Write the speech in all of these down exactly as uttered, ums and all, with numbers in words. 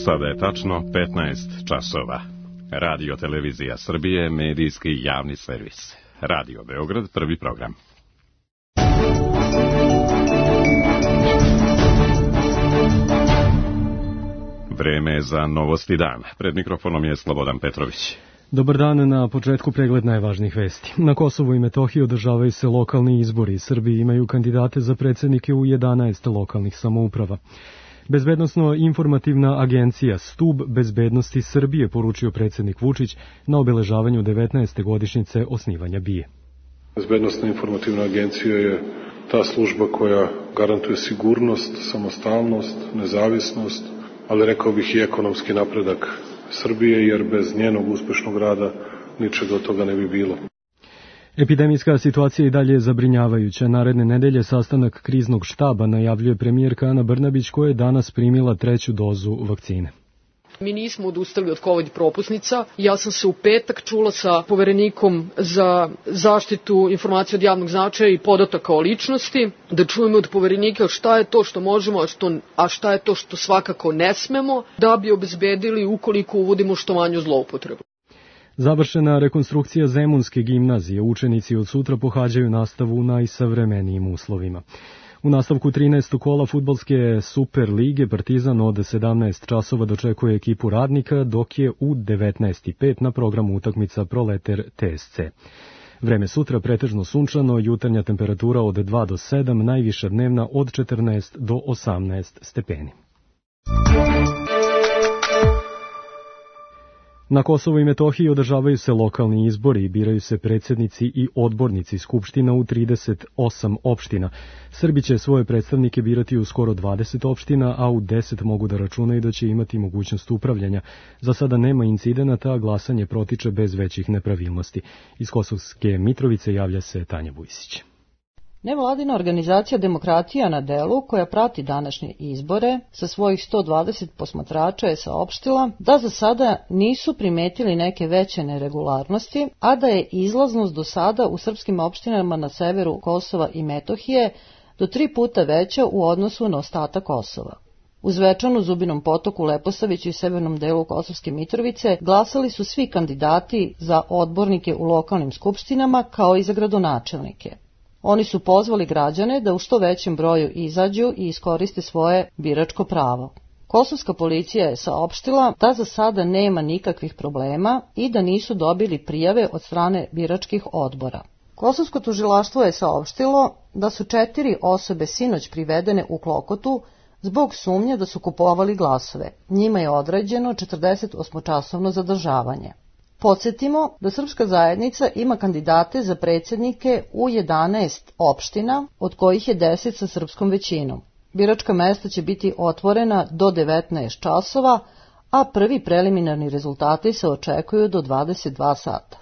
Sada je tačno petnaest časova. Radio Televizija Srbije, medijski javni servis. Radio Beograd, prvi program. Vreme je za Novosti dan. Pred mikrofonom je Slobodan Petrović. Dobar dan, na početku pregled najvažnijih vesti. Na Kosovu i Metohiji održavaju se lokalni izbori. Srbiji imaju kandidate za predsednike u jedanaest lokalnih samouprava. Bezbednosno-informativna agencija Stub bezbednosti Srbije poručio predsednik Vučić na obeležavanju devetnaeste godišnjice osnivanja BIA. Bezbednosna informativna agencija je ta služba koja garantuje sigurnost, samostalnost, nezavisnost, ali rekao bih i ekonomski napredak Srbije, jer bez njenog uspešnog rada ničega od toga ne bi bilo. Epidemijska situacija i dalje je zabrinjavajuća. Naredne nedelje sastanak kriznog štaba najavljuje premijerka Ana Brnabić, koja je danas primila treću dozu vakcine. Mi nismo odustali od COVID propusnica. Ja sam se u petak čula sa poverenikom za zaštitu informacija od javnog značaja i podataka o ličnosti, da čujemo od poverenika šta je to što možemo, a, što, a šta je to što svakako ne smemo, da bi obezbedili ukoliko uvodimo što manju zloupotrebu. Završena rekonstrukcija Zemunske gimnazije. Učenici od sutra pohađaju nastavu u najsavremenijim uslovima. U nastavku trinaestog kola fudbalske Super lige Partizan od sedamnaest časova dočekuje ekipu Radnika, dok je u devetnaest i pet na programu utakmica Proleter T S C. Vreme sutra pretežno sunčano, jutarnja temperatura od dva do sedam, najviša dnevna od četrnaest do osamnaest stepeni. Na Kosovu i Metohiji održavaju se lokalni izbori i biraju se predsjednici i odbornici skupština u trideset osam opština. Srbi će svoje predstavnike birati u skoro dvadeset opština, a u deset mogu da računaju da će imati mogućnost upravljanja. Za sada nema incidenata, a glasanje protiče bez većih nepravilnosti. Iz Kosovske Mitrovice javlja se Tanja Vujsić. Nevladina organizacija Demokratija na delu, koja prati današnje izbore, sa svojih sto dvadeset posmatrača je saopštila da za sada nisu primetili neke veće neregularnosti, a da je izlaznost do sada u srpskim opštinama na severu Kosova i Metohije do tri puta veća u odnosu na ostatak Kosova. U Zvečanu, Zubinom Potoku, Leposaviću i severnom delu Kosovske Mitrovice glasali su svi kandidati za odbornike u lokalnim skupštinama kao i za gradonačelnike. Oni su pozvali građane da u što većem broju izađu i iskoriste svoje biračko pravo. Kosovska policija je saopštila da za sada nema nikakvih problema i da nisu dobili prijave od strane biračkih odbora. Kosovsko tužilaštvo je saopštilo da su četiri osobe sinoć privedene u Klokotu zbog sumnje da su kupovali glasove. Njima je određeno četrdesetosmočasovno zadržavanje. Podsjetimo da srpska zajednica ima kandidate za predsjednike u jedanaest opština, od kojih je deset sa srpskom većinom. Biračka mesta će biti otvorena do devetnaest časova, a prvi preliminarni rezultati se očekuju do dvadeset dva sata.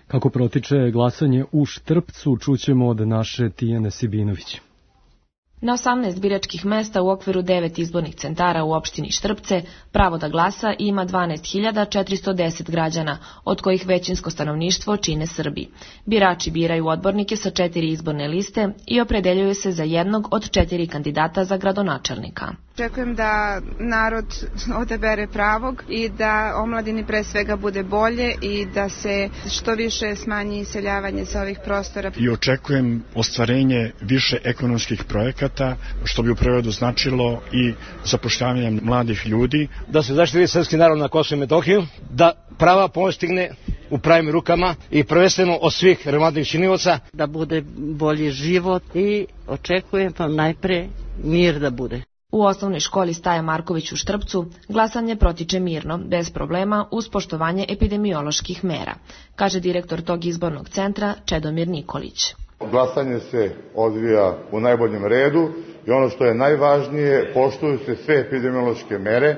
Kako protiče glasanje u Štrpcu, čućemo od naše Tijane Sibinović. Na osamnaest biračkih mesta u okviru devet izbornih centara u opštini Štrpce pravo da glasa ima dvanaest hiljada četiristo deset građana, od kojih većinsko stanovništvo čine Srbi. Birači biraju odbornike sa četiri izborne liste i opredeljuju se za jednog od četiri kandidata za gradonačelnika. Očekujem da narod odabere pravog i da omladini pre svega bude bolje i da se što više smanji iseljavanje sa ovih prostora. I očekujem ostvarenje više ekonomskih projekata, što bi u prevodu značilo i zapošljavanje mladih ljudi. Da se zaštiti srpski narod na Kosovu i Metohiju, da prava postigne u pravim rukama i prvenstveno od svih relevantnih činilaca. Da bude bolji život i očekujem pa najpre mir da bude. U osnovnoj školi Staja Marković u Štrpcu glasanje protiče mirno, bez problema, uz poštovanje epidemioloških mera, kaže direktor tog izbornog centra Čedomir Nikolić. Glasanje se odvija u najboljem redu i ono što je najvažnije, poštuju se sve epidemiološke mere,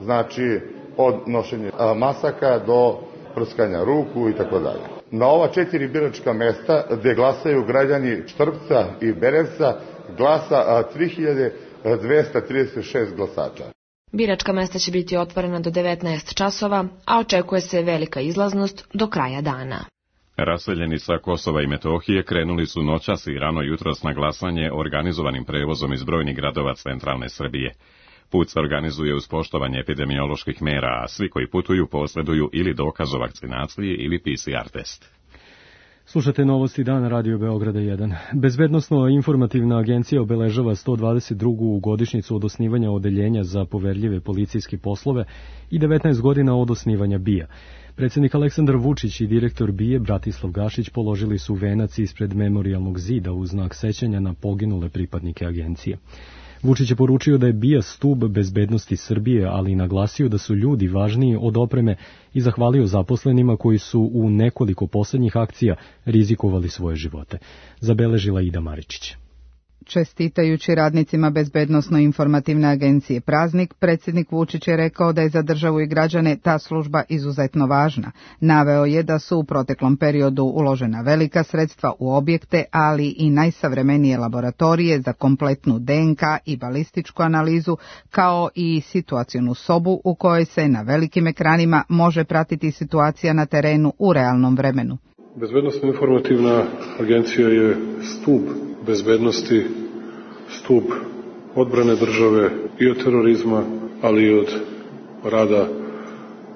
znači od nošenja masaka do prskanja ruku i tako dalje. Na ova četiri biračka mesta gde glasaju građani Štrpca i Berevca glasa tri hiljade dvesta trideset šest glasača. Biračka mesta će biti otvorena do devetnaest časova, a očekuje se velika izlaznost do kraja dana. Raseljeni sa Kosova i Metohije krenuli su noćas i rano jutros na glasanje organizovanim prevozom iz brojnih gradova centralne Srbije. Put se organizuje uz poštovanje epidemioloških mera, a svi koji putuju posjeduju ili dokaz o vakcinaciji ili P C R test. Slušate Novosti dana Radio Beograda jedan. Bezbednosno-informativna agencija obeležava sto dvadeset drugu godišnjicu od osnivanja odeljenja za poverljive policijske poslove i devetnaest godina od osnivanja B I A. Predsjednik Aleksandar Vučić i direktor B I A Bratislav Gašić položili su venac ispred memorijalnog zida u znak sećanja na poginule pripadnike agencije. Vučić je poručio da je B I A stub bezbednosti Srbije, ali i naglasio da su ljudi važniji od opreme i zahvalio zaposlenima koji su u nekoliko poslednjih akcija rizikovali svoje živote. Zabeležila Ida Maričić. Čestitajući radnicima Bezbednosno-informativne agencije praznik, predsjednik Vučić je rekao da je za državu i građane ta služba izuzetno važna. Naveo je da su u proteklom periodu uložena velika sredstva u objekte, ali i najsavremenije laboratorije za kompletnu D N K i balističku analizu, kao i situacionu sobu u kojoj se na velikim ekranima može pratiti situacija na terenu u realnom vremenu. Bezbednosno-informativna agencija je stub bezbednosti, stub odbrane države i od terorizma, ali i od rada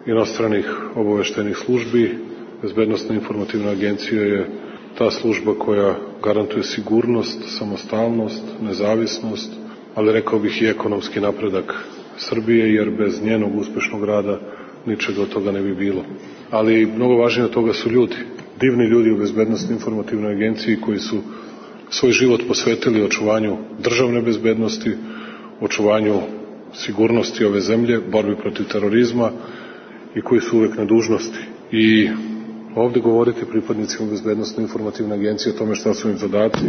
inostranih obaveštajnih službi. Bezbednosno-informativna agencija je ta služba koja garantuje sigurnost, samostalnost, nezavisnost, ali rekao bih i ekonomski napredak Srbije, jer bez njenog uspešnog rada ničega od toga ne bi bilo. Ali mnogo važnije od toga su ljudi. Divni ljudi u Bezbednosno-informativnoj agenciji koji su svoj život posvetili očuvanju državne bezbednosti, očuvanju sigurnosti ove zemlje, borbi protiv terorizma i koji su uvek na dužnosti. I ovde govoriti pripadnicima Bezbednosno-informativne agencije o tome šta su im zadaci,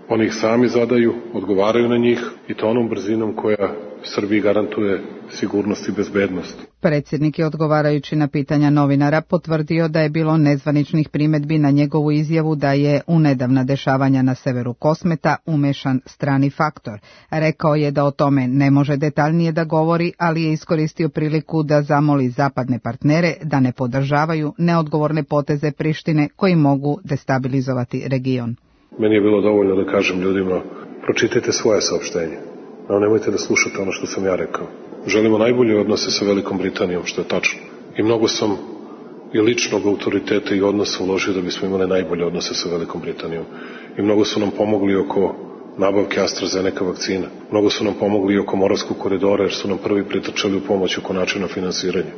oni ih sami zadaju, odgovaraju na njih i to onom brzinom koja Srbiji garantuje sigurnost i bezbednost. Predsjednik je odgovarajući na pitanja novinara potvrdio da je bilo nezvaničnih primedbi na njegovu izjavu da je u nedavna dešavanja na severu Kosmeta umešan strani faktor. Rekao je da o tome ne može detaljnije da govori, ali je iskoristio priliku da zamoli zapadne partnere da ne podržavaju neodgovorne poteze Prištine koji mogu destabilizovati region. Meni je bilo dovoljno da kažem ljudima, pročitajte svoje saopštenje, a nemojte da slušate ono što sam ja rekao. Želimo najbolje odnose sa Velikom Britanijom, što je tačno. I mnogo sam i ličnog autoriteta i odnosa uložio da bismo imali najbolje odnose sa Velikom Britanijom. I mnogo su nam pomogli oko nabavke AstraZeneca vakcina. Mnogo su nam pomogli oko Moravskog koridora, jer su nam prvi pritrčali u pomoć oko načina finansiranja.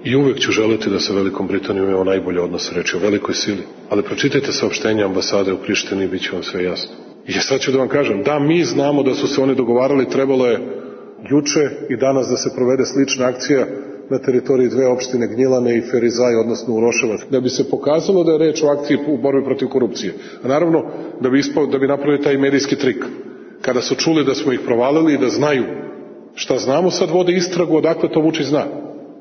I uvek ću želeti da sa Velikom Britanijom imamo najbolje odnose, reći o velikoj sili. Ali pročitajte saopštenja ambasade u Prištini i bit će vam sve jasno. I sad ću da vam kažem, da mi znamo da su se oni dogovarali, trebalo je juče i danas da se provede slična akcija na teritoriji dve opštine Gnjilane i Ferizaj, odnosno Uroševac, da bi se pokazalo da je reč o akciji u borbi protiv korupcije. A naravno, da bi, ispao, da bi napravili taj medijski trik. Kada su čuli da smo ih provalili i da znaju šta znamo, sad vode istragu odakle to Vučić zna.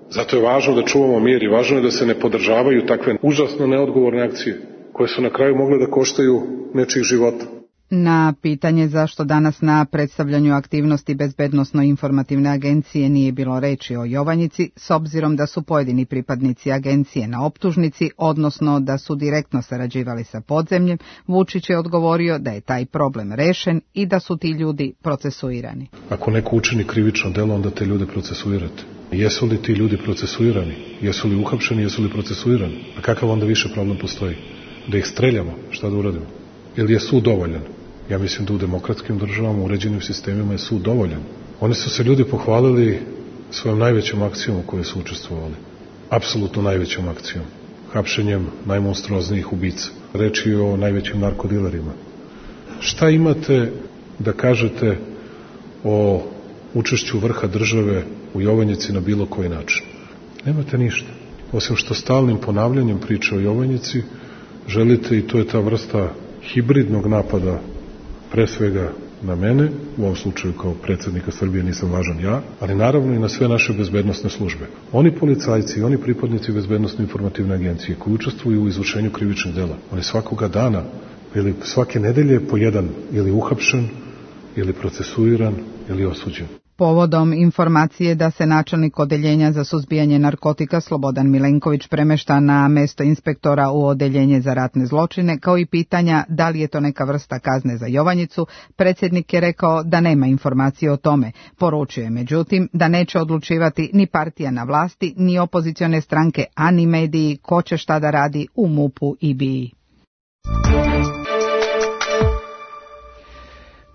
Zato je važno da čuvamo mir i važno je da se ne podržavaju takve užasno neodgovorne akcije, koje su na kraju mogle da koštaju nečijih života. Na pitanje zašto danas na predstavljanju aktivnosti Bezbednosno-informativne agencije nije bilo reči o Jovanjici, s obzirom da su pojedini pripadnici agencije na optužnici, odnosno da su direktno sarađivali sa podzemljem, Vučić je odgovorio da je taj problem rešen i da su ti ljudi procesuirani. Ako neko učini krivično delo, onda te ljude procesuirate. Jesu li ti ljudi procesuirani? Jesu li uhapšeni? Jesu li procesuirani? A kakav onda više problem postoji? Da ih streljamo? Šta da uradimo? Ili je sud dovoljan? Ja mislim da u demokratskim državama, u uređenim sistemima je sud dovoljan. Oni su se ljudi pohvalili svojom najvećom akcijom u kojoj su učestvovali. Apsolutno najvećom akcijom. Hapšenjem najmonstruoznijih ubica. Reč je o najvećim narkodilerima. Šta imate da kažete o učešću vrha države u Jovanjici na bilo koji način? Nemate ništa. Osim što stalnim ponavljanjem priče o Jovanjici želite, i to je ta vrsta hibridnog napada, pre svega na mene, u ovom slučaju kao predsjednika Srbije nisam važan ja, ali naravno i na sve naše bezbednosne službe. Oni policajci, oni pripadnici Bezbednosno-informativne agencije koji učestvuju u izvršenju krivičnih dela, oni svakoga dana ili svake nedelje po jedan ili uhapšen, ili procesuiran, ili osuđen. Povodom informacije da se načelnik odeljenja za suzbijanje narkotika Slobodan Milenković premešta na mesto inspektora u odeljenje za ratne zločine, kao i pitanja da li je to neka vrsta kazne za Jovanjicu, predsjednik je rekao da nema informacije o tome. Poručio je međutim da neće odlučivati ni partija na vlasti, ni opozicione stranke, a ni mediji ko će šta da radi u MUP-u i B I.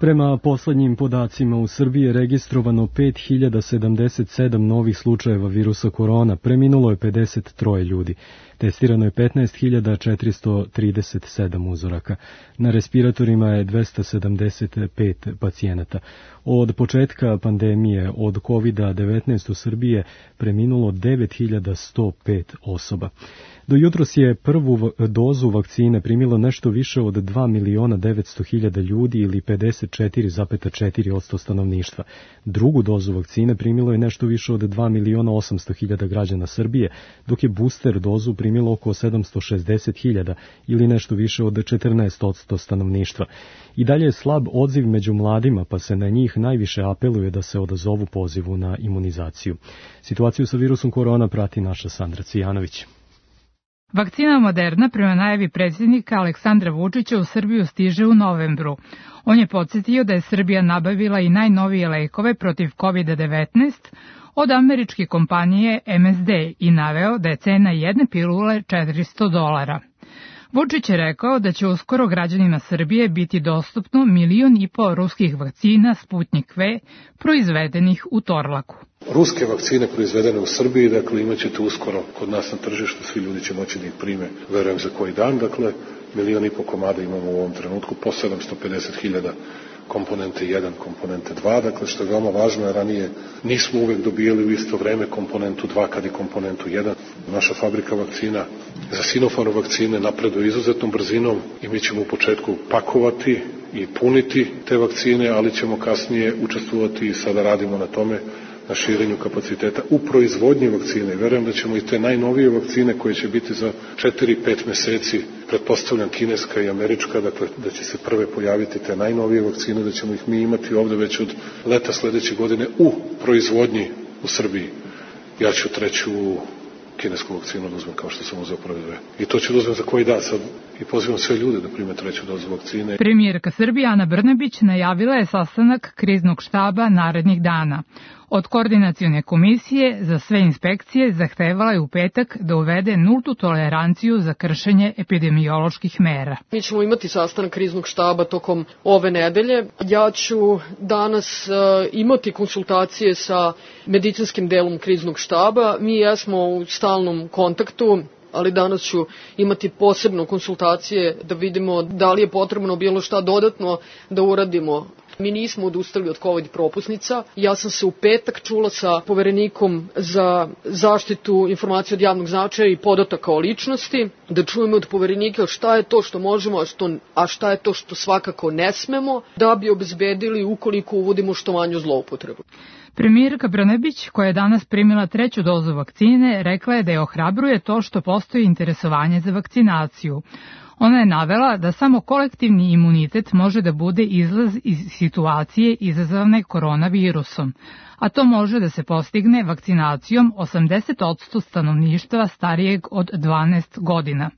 Prema poslednjim podacima u Srbiji je registrovano pet hiljada sedamdeset sedam novih slučajeva virusa korona, preminulo je pedeset tri ljudi. Testirano je petnaest hiljada četiristo trideset sedam uzoraka. Na respiratorima je dvesta sedamdeset pet pacijenata. Od početka pandemije od kovid devetnaest u Srbiji je preminulo devet hiljada sto pet osoba. Do jutros je prvu dozu vakcine primilo nešto više od dva miliona devetsto hiljada ljudi ili pedeset četiri zarez četiri posto stanovništva. Drugu dozu vakcine primilo je nešto više od dva miliona osamsto hiljada građana Srbije, dok je booster dozu primilo oko sedamsto šezdeset hiljada ili nešto više od četrnaest posto stanovništva. I dalje je slab odziv među mladima, pa se na njih najviše apeluje da se odazovu pozivu na imunizaciju. Situaciju sa virusom korona prati naša Sandra Cijanović. Vakcina Moderna prema najavi predsjednika Aleksandra Vučića u Srbiju stiže u novembru. On je podsjetio da je Srbija nabavila i najnovije lekove protiv kovid devetnaest od američke kompanije M S D i naveo da je cena jedne pilule četiristo dolara. Vučić je rekao da će uskoro građanima Srbije biti dostupno milion i pol ruskih vakcina Sputnik V proizvedenih u Torlaku. Ruske vakcine proizvedene u Srbiji, dakle imat ćete uskoro kod nas na tržištu, svi ljudi će moći da ih prime, verujem za koji dan, dakle milion i po komada imamo u ovom trenutku, po sedamsto pedeset hiljada komponente jedan, komponente dva, dakle što je veoma važno, jer ranije nismo uvek dobijali u isto vreme komponentu dva kad i komponentu jedan. Naša fabrika vakcina za Sinopharm vakcine napreduje izuzetnom brzinom i mi ćemo u početku pakovati i puniti te vakcine, ali ćemo kasnije učestvovati i sada radimo na tome, na širenju kapaciteta u proizvodnji vakcine. Verujem da ćemo i te najnovije vakcine koje će biti za četiri pet meseci, pretpostavljam kineska i američka, dakle da će se prve pojaviti te najnovije vakcine, da ćemo ih mi imati ovde već od leta sledeće godine u proizvodnji u Srbiji. Ja ću treću kinesku vakcinu da uzmem kao što sam uzeo prve dve. I to ću da uzmem za koji dan sad i pozivam sve ljude da prime treću dozu vakcine. Premijerka Srbije Ana Brnabić najavila je sastanak kriznog štaba narednih dana. Od koordinacione komisije za sve inspekcije zahtevala je u petak da uvede nultu toleranciju za kršenje epidemioloških mera. Mi ćemo imati sastanak kriznog štaba tokom ove nedelje. Ja ću danas uh, imati konsultacije sa medicinskim delom kriznog štaba. Mi jesmo u stalnom kontaktu, ali danas ću imati posebno konsultacije da vidimo da li je potrebno bilo šta dodatno da uradimo. Mi nismo odustali od COVID propusnica. Ja sam se u petak čula sa poverenikom za zaštitu informacija od javnog značaja i podataka o ličnosti, da čujemo od poverenika šta je to što možemo, a, što, a šta je to što svakako ne smemo, da bi obezbedili ukoliko uvodimo što manju zloupotrebu. Premijerka Brnabić, koja je danas primila treću dozu vakcine, rekla je da je ohrabruje to što postoji interesovanje za vakcinaciju. Ona je navela da samo kolektivni imunitet može da bude izlaz iz situacije izazvane koronavirusom, a to može da se postigne vakcinacijom osamdeset posto stanovništva starijeg od dvanaest godina.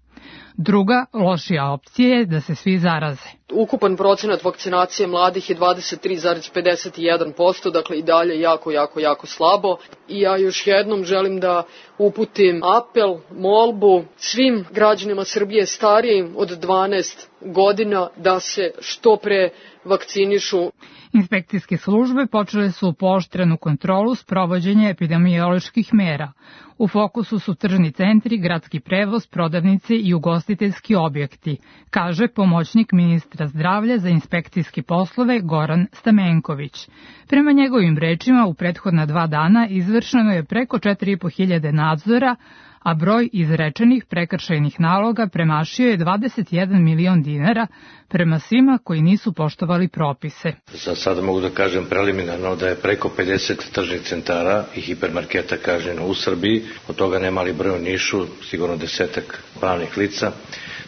Druga, lošija opcija je da se svi zaraze. Ukupan procenat vakcinacije mladih je dvadeset tri zarez pedeset jedan posto, dakle i dalje jako, jako, jako slabo. I ja još jednom želim da uputim apel, molbu svim građanima Srbije starijim od dvanaest godina da se što pre vakcinišu. Inspekcijske službe počele su pooštrenu kontrolu sprovođenja epidemioloških mera. U fokusu su tržni centri, gradski prevoz, prodavnice i ugostiteljski objekti, kaže pomoćnik ministra zdravlja za inspekcijske poslove Goran Stamenković. Prema njegovim rečima, u prethodna dva dana izvršeno je preko četiri i po hiljade nadzora, a broj izrečenih prekršajnih naloga premašio je dvadeset jedan milion dinara prema svima koji nisu poštovali propise. Za sada mogu da kažem preliminarno da je preko pedeset tržnih centara i hipermarketa kažnjeno u Srbiji, od toga ne mali broj u Nišu, sigurno desetak pravnih lica.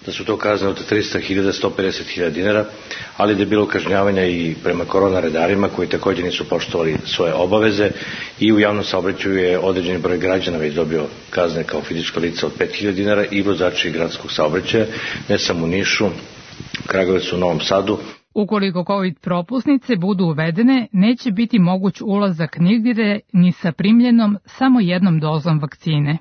da su to kazne od trista hiljada do sto pedeset hiljada dinara, ali da je bilo kažnjavanja i prema korona redarima koji također nisu poštovali svoje obaveze i u javnom saobraćaju je određeni broj građana već dobio kazne kao fizička lica od pet hiljada dinara i vozači gradskog saobraćaja, ne samo u Nišu, Kragujevcu, u Novom Sadu. Ukoliko COVID propusnice budu uvedene, neće biti moguć ulazak nigdje ni sa primljenom samo jednom dozom vakcine.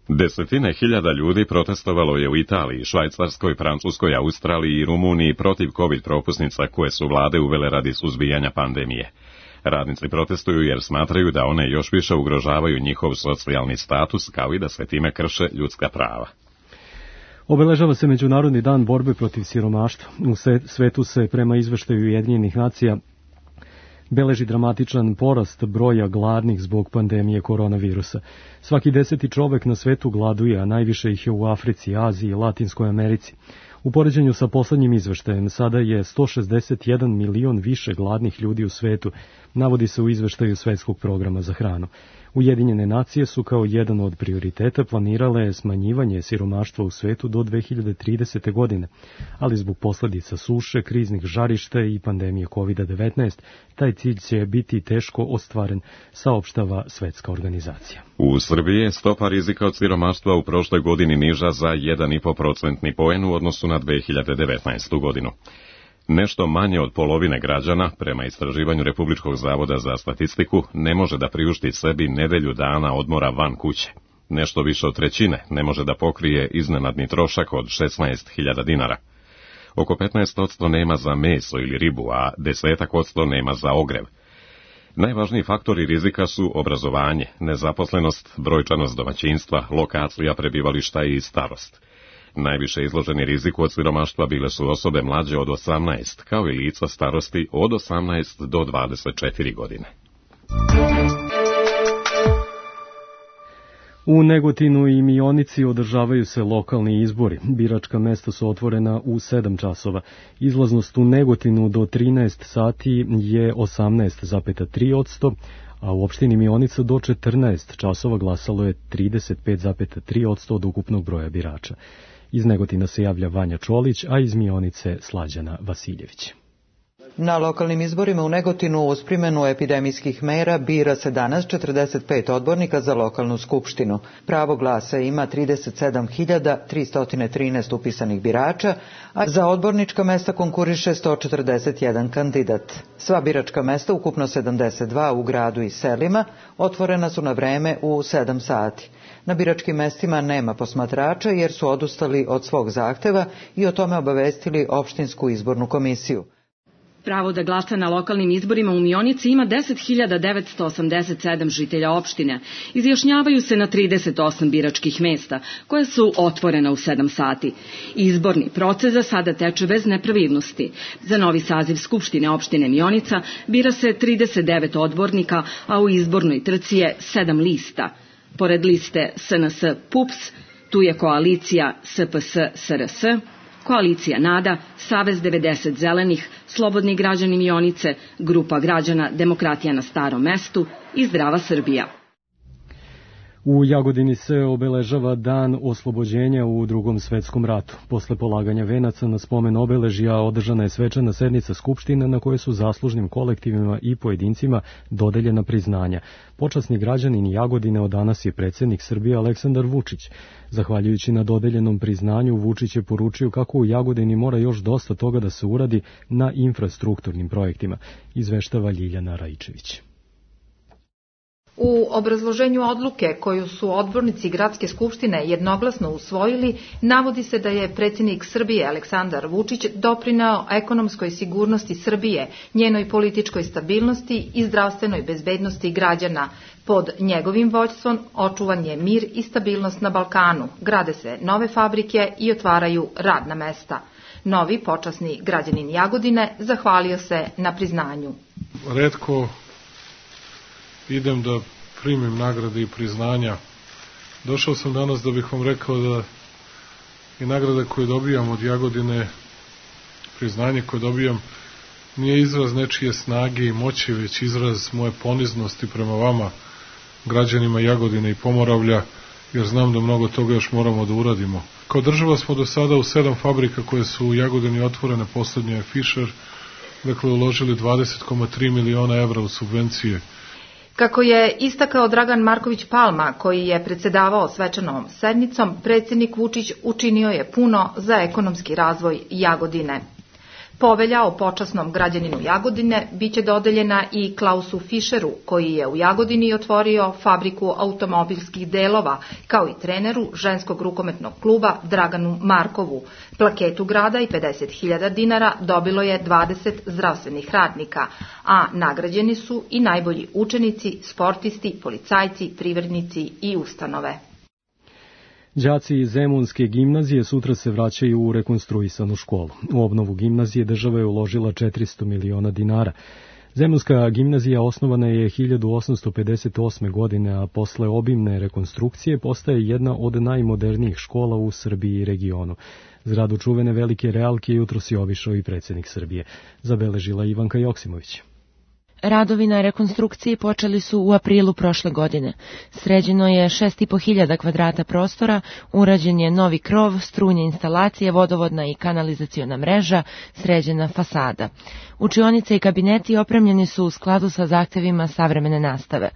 Desetine hiljada ljudi protestovalo je u Italiji, Švajcarskoj, Francuskoj, Australiji i Rumuniji protiv COVID propusnica koje su vlade uvele radi suzbijanja pandemije. Radnici protestuju jer smatraju da one još više ugrožavaju njihov socijalni status, kao i da se time krše ljudska prava. Obeležava se Međunarodni dan borbe protiv siromaštva. U svetu se prema izveštaju Ujedinjenih nacija beleži dramatičan porast broja gladnih zbog pandemije koronavirusa. Svaki deseti čovek na svetu gladuje, a najviše ih je u Africi, Aziji i Latinskoj Americi. U poređenju sa poslednjim izveštajem sada je sto šezdeset jedan milion više gladnih ljudi u svetu, navodi se u izveštaju Svetskog programa za hranu. Ujedinjene nacije su kao jedan od prioriteta planirale smanjivanje siromaštva u svetu do dve hiljade tridesete. godine, ali zbog posledica suše, kriznih žarišta i pandemije kovid devetnaest, taj cilj će biti teško ostvaren, saopštava Svetska organizacija. U Srbiji je stopa rizika od siromaštva u prošloj godini niža za jedan i po procentni poen u odnosu na dve hiljade devetnaestu. godinu. Nešto manje od polovine građana, prema istraživanju Republičkog zavoda za statistiku, ne može da priušti sebi nedelju dana odmora van kuće. Nešto više od trećine ne može da pokrije iznenadni trošak od šesnaest hiljada dinara. Oko petnaest posto nema za meso ili ribu, a deset posto nema za ogrev. Najvažniji faktori rizika su obrazovanje, nezaposlenost, brojčanost domaćinstva, lokacija prebivališta i starost. Najviše izloženi riziku od siromaštva bile su osobe mlađe od osamnaest, kao i lica starosti od osamnaest do dvadeset četiri godine. U Negotinu i Mionici održavaju se lokalni izbori. Biračka mesta su otvorena u sedam časova. Izlaznost u Negotinu do trinaest sati je osamnaest zarez tri posto, a u opštini Mionica do četrnaest časova glasalo je trideset pet zarez tri posto od ukupnog broja birača. Iz Negotina se javlja Vanja Čolić, a iz Mionice Slađana Vasiljević. Na lokalnim izborima u Negotinu uz primjenu epidemijskih mera bira se danas četrdeset pet odbornika za lokalnu skupštinu. Pravo glasa ima trideset sedam hiljada tristo trinaest upisanih birača, a za odbornička mesta konkuriše sto četrdeset jedan kandidat. Sva biračka mesta, ukupno sedamdeset dva u gradu i selima, otvorena su na vreme u sedam sati. Na biračkim mestima nema posmatrača jer su odustali od svog zahteva i o tome obavestili opštinsku izbornu komisiju. Pravo da glasa na lokalnim izborima u Mionici ima deset hiljada devetsto osamdeset sedam žitelja opštine. Izjašnjavaju se na trideset osam biračkih mesta, koja su otvorena u sedam sati. Izborni proces za sada teče bez nepravilnosti. Za novi saziv Skupštine opštine Mionica bira se trideset devet odbornika, a u izbornoj trci je sedam lista. Pored liste S N S P U P S, tu je koalicija S P S S R S, koalicija NADA, Savez devedeset zelenih, Slobodni građani Mionice, Grupa građana Demokratija na Starom mestu i Zdrava Srbija. U Jagodini se obeležava dan oslobođenja u Drugom svetskom ratu. Posle polaganja venaca na spomen obeležja održana je svečana sednica Skupštine na kojoj su zaslužnim kolektivima i pojedincima dodeljena priznanja. Počasni građanin Jagodine od danas je predsjednik Srbije Aleksandar Vučić. Zahvaljujući na dodeljenom priznanju, Vučić je poručio kako u Jagodini mora još dosta toga da se uradi na infrastrukturnim projektima, izveštava Ljiljana Raičević. U obrazloženju odluke koju su odbornici Gradske skupštine jednoglasno usvojili, navodi se da je predsjednik Srbije Aleksandar Vučić doprineo ekonomskoj sigurnosti Srbije, njenoj političkoj stabilnosti i zdravstvenoj bezbednosti građana. Pod njegovim vođstvom očuvan je mir i stabilnost na Balkanu, grade se nove fabrike i otvaraju radna mesta. Novi počasni građanin Jagodine zahvalio se na priznanju. Retko idem da primim nagrade i priznanja. Došao sam danas da bih vam rekao da i nagrade koje dobijam od Jagodine, priznanje koje dobijam, nije izraz nečije snage i moći, već izraz moje poniznosti prema vama, građanima Jagodine i Pomoravlja, jer znam da mnogo toga još moramo da uradimo. Kao država smo do sada u sedam fabrika koje su u Jagodini otvorene, poslednja je Fischer, dakle uložili dvadeset zarez tri miliona evra u subvencije. Kako je istakao Dragan Marković Palma, koji je predsedavao svečanom sednicom, predsjednik Vučić učinio je puno za ekonomski razvoj Jagodine. Povelja o počasnom građaninu Jagodine biće dodeljena i Klausu Fischeru, koji je u Jagodini otvorio fabriku automobilskih delova, kao i treneru ženskog rukometnog kluba Draganu Markovu. Plaketu grada i pedeset hiljada dinara dobilo je dvadeset zdravstvenih radnika, a nagrađeni su i najbolji učenici, sportisti, policajci, privrednici i ustanove. Đaci Zemunske gimnazije sutra se vraćaju u rekonstruisanu školu. U obnovu gimnazije država je uložila četiristo miliona dinara. Zemunska gimnazija osnovana je hiljadu osamsto pedeset osme. godine, a posle obimne rekonstrukcije postaje jedna od najmodernijih škola u Srbiji i regionu. Zgradu čuvene velike realke jutros je obišao i predsjednik Srbije, zabeležila Ivanka Joksimović. Radovi na rekonstrukciji počeli su u aprilu prošle godine. Sređeno je šest i po hiljada kvadrata prostora, urađen je novi krov, strujne instalacije, vodovodna i kanalizaciona mreža, sređena fasada. Učionice i kabineti opremljeni su u skladu sa zahtevima savremene nastave.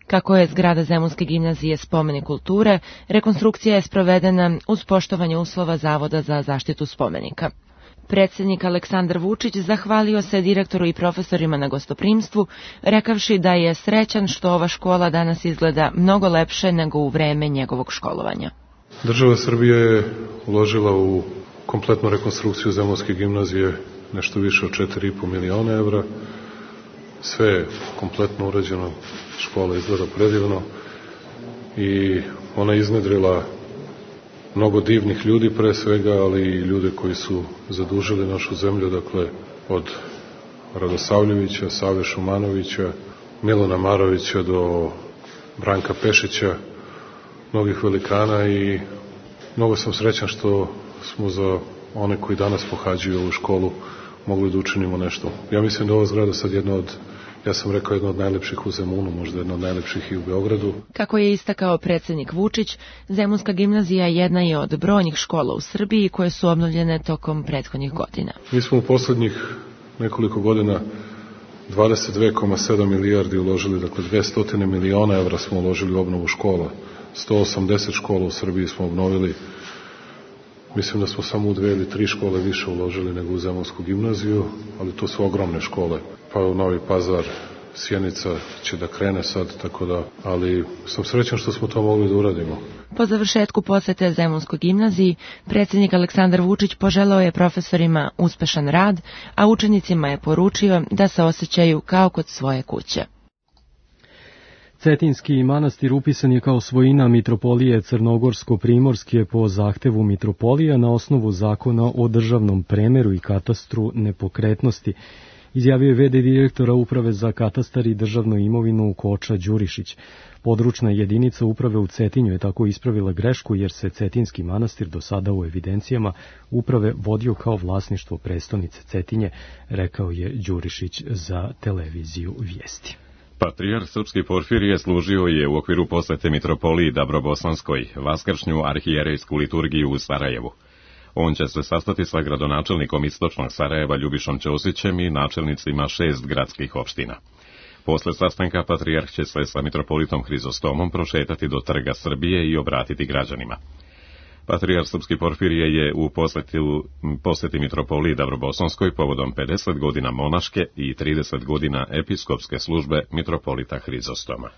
Kako je zgrada Zemunske gimnazije spomenik kulture, rekonstrukcija je sprovedena uz poštovanje uslova Zavoda za zaštitu spomenika. Predsjednik Aleksandar Vučić zahvalio se direktoru i profesorima na gostoprimstvu, rekavši da je srećan što ova škola danas izgleda mnogo lepše nego u vreme njegovog školovanja. Država Srbije je uložila u kompletnu rekonstrukciju Zemunske gimnazije nešto više od četiri i po miliona evra. Sve je kompletno urađeno, škola izgleda predivno i ona iznedrila mnogo divnih ljudi pre svega, ali i ljude koji su zadužili našu zemlju, dakle od Radosavljevića, Save Šumanovića, Milana Marovića do Branka Pešića, mnogih velikana, i mnogo sam srećan što smo za one koji danas pohađaju ovu školu mogli da učinimo nešto. Ja mislim da ova zgrada sad jedna od, ja sam rekao, jedna od najlepših u Zemunu, možda jedna od najlepših i u Beogradu. Kako je istakao predsjednik Vučić, Zemunska gimnazija jedna je od brojnih škola u Srbiji koje su obnovljene tokom prethodnih godina. Mi smo u poslednjih nekoliko godina dvadeset dve zarez sedam milijardi uložili, dakle dvesta miliona evra smo uložili u obnovu škola. sto osamdeset škola u Srbiji smo obnovili. Mislim da smo samo u dve ili tri škole više uložili nego u Zemunsku gimnaziju, ali to su ogromne škole. Pa u Novi Pazar, Sjenica će da krene sad, tako da, ali sam srećan što smo to mogli da uradimo. Po završetku posete Zemunskoj gimnaziji, predsjednik Aleksandar Vučić poželeo je profesorima uspešan rad, a učenicima je poručio da se osjećaju kao kod svoje kuće. Cetinski manastir upisan je kao svojina Mitropolije Crnogorsko-Primorske po zahtevu Mitropolija na osnovu zakona o državnom premeru i katastru nepokretnosti, izjavio je ve de direktora Uprave za katastar i državnu imovinu Koča Đurišić. Područna jedinica uprave u Cetinju je tako ispravila grešku jer se Cetinski manastir do sada u evidencijama uprave vodio kao vlasništvo prestonice Cetinje, rekao je Đurišić za televiziju Vijesti. Patrijarh Srpski Porfirije služio je u okviru posete Mitropoliji Dabrobosanskoj vaskršnju arhijerejsku liturgiju u Sarajevu. On će se sastati sa gradonačelnikom Istočnog Sarajeva Ljubišom Ćosićem i načelnicima šest gradskih opština. Posle sastanka patrijarh će se sa mitropolitom Hrizostomom prošetati do Trga Srbije i obratiti građanima. Patrijarh Srpski Porfirije je u poseti, poseti Mitropoliji Dabrobosanskoj povodom pedeset godina monaške i trideset godina episkopske službe mitropolita Hrizostoma.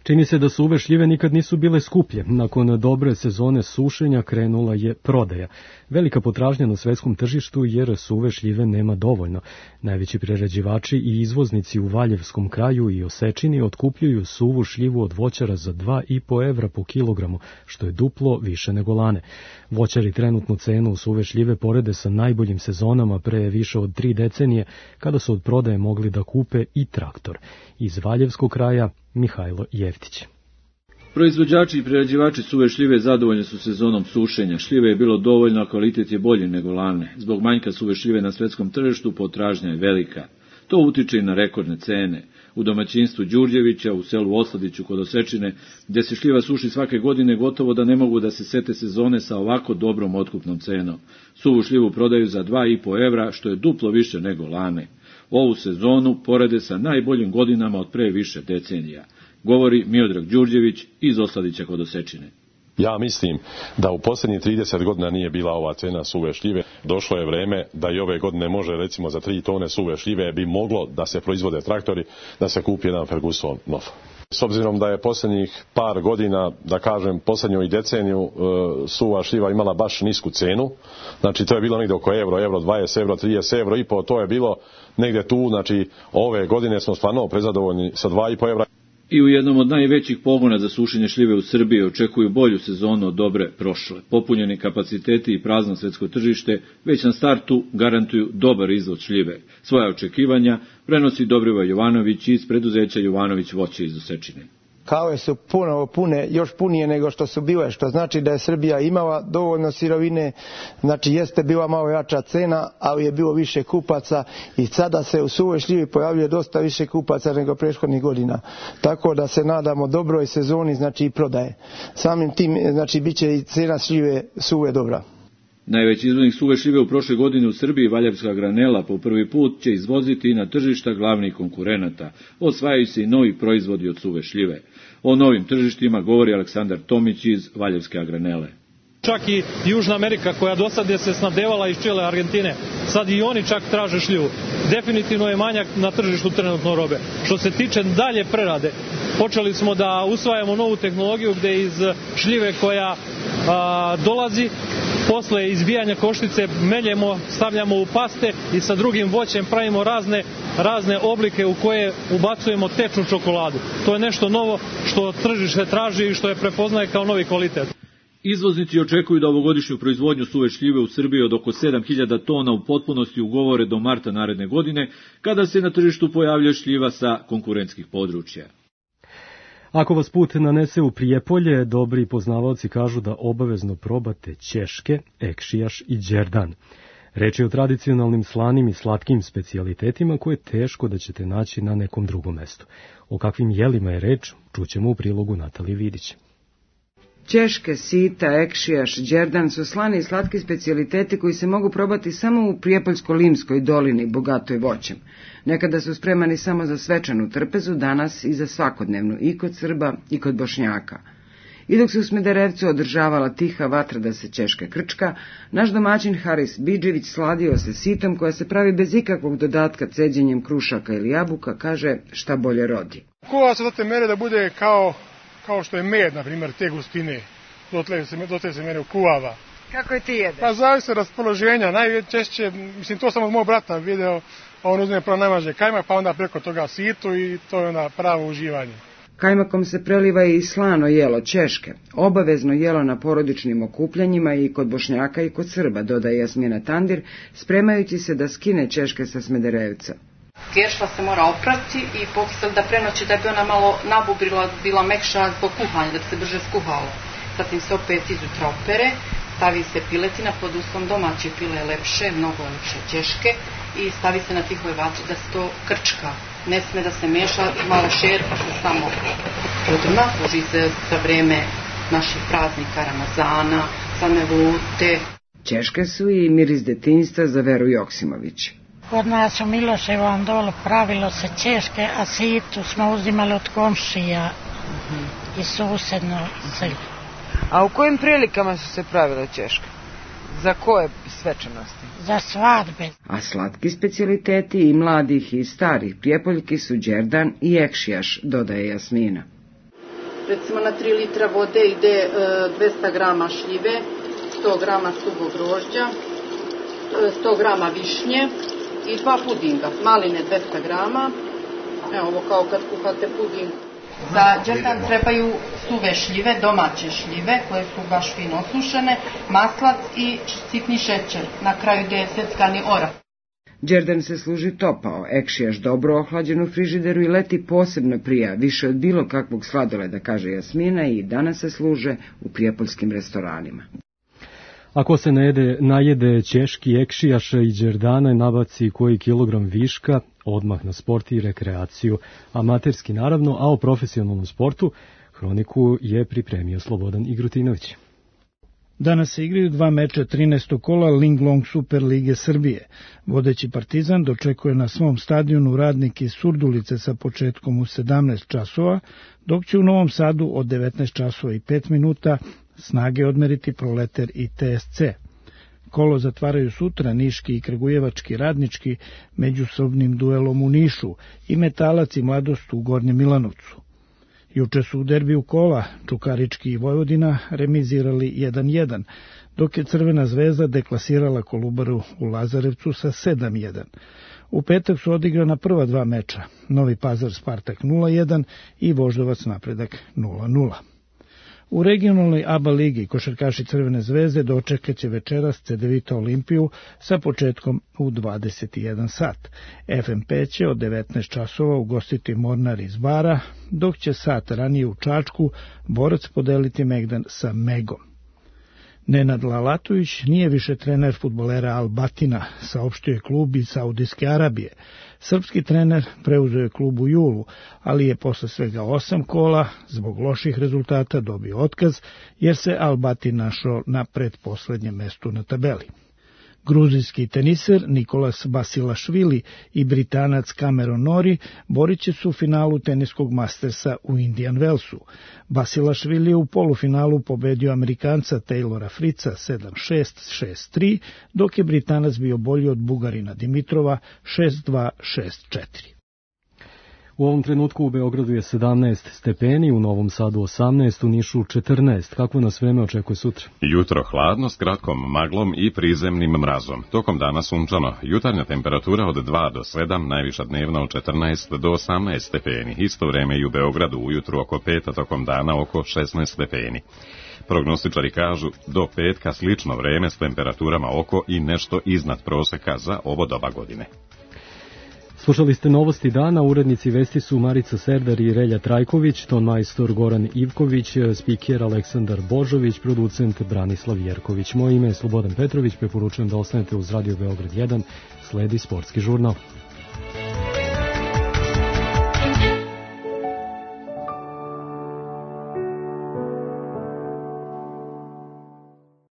Čini se da suve šljive nikad nisu bile skuplje. Nakon dobre sezone sušenja krenula je prodaja. Velika potražnja na svetskom tržištu jer suve šljive nema dovoljno. Najveći prerađivači i izvoznici u Valjevskom kraju i Osečini otkupljuju suvu šljivu od voćara za dva i po evra po kilogramu, što je duplo više nego lane. Voćari trenutnu cenu suve šljive porede sa najboljim sezonama pre više od tri decenije, kada su od prodaje mogli da kupe i traktor. Iz Valjevskog kraja Mihajlo Jeftić. Proizvođači i prerađivači suve šljive zadovoljni su sezonom sušenja. Šljive je bilo dovoljno, a kvalitet je bolji nego lane. Zbog manjka suve šljive na svetskom tržištu potražnja je velika. To utiče i na rekordne cene. U domaćinstvu Đurđevića, u selu Osladiću kod Osečine, gde se šljiva suši svake godine, gotovo da ne mogu da se sete sezone sa ovako dobrom otkupnom cenom. Suvu šljivu prodaju za dva i po evra, što je duplo više nego lane. Ovu sezonu porede sa najboljim godinama od pre više decenija, govori Miodrag Đurđević iz Osladića kod Osečine. Ja mislim da u posljednjih trideset godina nije bila ova cena suve šljive. Došlo je vreme da i ove godine može, recimo za tri tone suve šljive bi moglo da se proizvode traktori, da se kupi jedan Ferguson nov. S obzirom da je posljednjih par godina, da kažem posljednju i deceniju, suva šljiva imala baš nisku cenu, znači to je bilo negdje oko euro, euro dvadeset, euro trideset, euro i po, to je bilo negdje tu, znači ove godine smo stvarno prezadovoljni sa dva i po evra. I u jednom od najvećih pogona za sušenje šljive u Srbiji očekuju bolju sezonu od dobre prošle. Popunjeni kapaciteti i prazno svetsko tržište već na startu garantuju dobar izvoz šljive. Svoja očekivanja prenosi Dobrivoje Jovanović iz preduzeća Jovanović voće iz Osečine. Kave su puno pune, još punije nego što su bile, što znači da je Srbija imala dovoljno sirovine, znači jeste bila malo jača cena, ali je bilo više kupaca i sada se u suvoj šljivi pojavljuje dosta više kupaca nego prethodnih godina. Tako da se nadamo dobroj sezoni, znači i prodaje. Samim tim, znači bit će i cena šljive suve dobra. Najveći izvoznik suve šljive u prošle godine u Srbiji, Valjevska granela, po prvi put će izvoziti na tržišta glavnih konkurenata. Osvajaju se i novi proizvodi od suve šljive. O novim tržištima govori Aleksandar Tomić iz Valjevske granele. Čak i Južna Amerika, koja do sad je se snabdevala iz Čile, Argentine, sad i oni čak traže šljivu. Definitivno je manjak na tržištu trenutno robe. Što se tiče dalje prerade, počeli smo da usvajamo novu tehnologiju gde iz šljive koja a, dolazi, posle izbijanja koštice meljemo, stavljamo u paste i sa drugim voćem pravimo razne, razne oblike u koje ubacujemo tečnu čokoladu. To je nešto novo što tržište traži i što je prepoznaje kao novi kvalitet. Izvoznici očekuju da ovogodišnju proizvodnju suve šljive u Srbiji od oko sedam hiljada tona u potpunosti ugovore do marta naredne godine, kada se na tržištu pojavlja šljiva sa konkurentskih područja. Ako vas put nanese u Prijepolje, dobri poznavaoci kažu da obavezno probate ćeške, ekšijaš i đerdan. Reč je o tradicionalnim slanim i slatkim specijalitetima koje teško da ćete naći na nekom drugom mestu. O kakvim jelima je reč, čućemo u prilogu Natalije Vidić. Ćeške, sita, ekšijaš, đerdan su slani i slatki specijaliteti koji se mogu probati samo u Prijepoljsko-Limskoj dolini, bogatoj voćem. Nekada su spremani samo za svečanu trpezu, danas i za svakodnevnu, i kod Srba i kod Bošnjaka. I dok se u Smederevcu održavala tiha vatra da se ćeška krčka, naš domaćin Haris Bidžević sladio se sitom koja se pravi bez ikakvog dodatka ceđenjem krušaka ili jabuka, kaže šta bolje rodi. Kuva se do te mere da bude kao, kao što je med, na primjer, te gustine, dotle se, dotle se mere kuvava. Kako je ti jedeš? Pa zavisi od raspoloženja, najčešće, mislim to sam od mog brata video, on uzme prvo najmaže kajmak, pa onda preko toga situ i to je onda pravo uživanje. Kajmakom se preliva i slano jelo ćeške, obavezno jelo na porodičnim okupljanjima i kod Bošnjaka i kod Srba, dodaje Jasmina Tandir, spremajući se da skine ćeške sa Smederevca. Kešla se mora oprati i pokisali da prenoći da bi ona malo nabubrila, bila mekša zbog kuhanja, da bi se brže skuhala. Zatim se opet izutra opere, stavi se piletina pod uslovom domaće pile lepše, mnogo lepše ćeške i stavi se na tihoj vatri da se to krčka. Ne sme da se meša, malo šerpa se samo podrna, služi se za vreme naših praznika Ramazana, same vute. Ćeške su i miris detinjstva za Veru Joksimović. Kod nas u Miloševom dolu pravilo se ćeške, a situ smo uzimali od komšija i susedno selje. A u kojim prilikama su se pravile ćeške? Za koje svečanosti? Za svadbe. A slatki specijaliteti i mladih i starih Prijepoljki su đerdan i ekšijaš, dodaje Jasmina. Recimo na tri litra vode ide e, dvesta grama šljive, sto grama suvog grožđa, sto grama višnje i dva pudinga. Maline dvesta grama, evo ovo kao kad kuhate puding. Za đerdan trebaju suve šljive, domaće šljive koje su baš fino osušene, maslac i sitni šećer, na kraju gdje je seckani orah. Đerdan se služi topao, ekšijaš dobro ohlađen u frižideru i leti posebno prija, više od bilo kakvog sladoleda, kaže Jasmina, i danas se služe u prijepoljskim restoranima. Ako se najede, najede Češki, Ekšijaša i Đerdana, nabaci koji kilogram viška, odmah na sport i rekreaciju. Amaterski naravno, a o profesionalnom sportu hroniku je pripremio Slobodan Igrutinović. Danas se igraju dva meča trinaestog kola Linglong Super Lige Srbije. Vodeći Partizan dočekuje na svom stadionu Radnik iz Surdulice sa početkom u sedamnaest časova, dok će u Novom Sadu od devetnaest časova i pet minuta snage odmeriti Proleter i T S C. Kolo zatvaraju sutra Niški i Kragujevački Radnički međusobnim duelom u Nišu i Metalac i Mladost u Gornjem Milanovcu. Juče su u derbiju kola Čukarički i Vojvodina remizirali jedan jedan, dok je Crvena zvezda deklasirala Kolubaru u Lazarevcu sa sedam jedan. U petak su odigrana prva dva meča, Novi Pazar Spartak nula jedan i Voždovac Napredak nula nula. U regionalnoj A B A ligi košarkaši Crvene zvezde dočekat će večeras Cedevita Olimpiju sa početkom u dvadeset jedan sat. F M P će od devetnaest časova ugostiti Mornar iz Bara, dok će sat ranije u Čačku Borac podeliti Megdan sa Megom. Nenad Lalatović nije više trener fudbalera Al Batina, saopštio je klub iz Saudijske Arabije. Srpski trener preuzeo je klub u julu, ali je posle svega osam kola zbog loših rezultata dobio otkaz, jer se Al Batin našao na pretposlednjem mestu na tabeli. Gruzijski teniser Nikolas Basilašvili i Britanac Cameron Norrie borit će se u finalu teniskog Mastersa u Indian Wellsu. Basilašvili je u polufinalu pobedio Amerikanca Taylora Fritza sedam šest, šest tri, dok je Britanac bio bolji od Bugarina Dimitrova šest dva, šest četiri. U ovom trenutku u Beogradu je sedamnaest stepeni, u Novom Sadu osamnaest, u Nišu četrnaest. Kako nas vreme očekuje sutra? Jutro hladno s kratkom maglom i prizemnim mrazom. Tokom dana sunčano. Jutarnja temperatura od dva do sedam, najviša dnevna od četrnaest do osamnaest stepeni. Isto vreme i u Beogradu ujutru oko pet, a tokom dana oko šesnaest stepeni. Prognostičari kažu do petka slično vreme s temperaturama oko i nešto iznad proseka za ovo doba godine. Slušali ste novosti dana, urednici vesti su Marica Serdar i Relja Trajković, ton majstor Goran Ivković, spiker Aleksandar Božović, producent Branislav Jerković. Moje ime je Slobodan Petrović, preporučujem da ostanete uz Radio Beograd jedan, sledi sportski žurnal.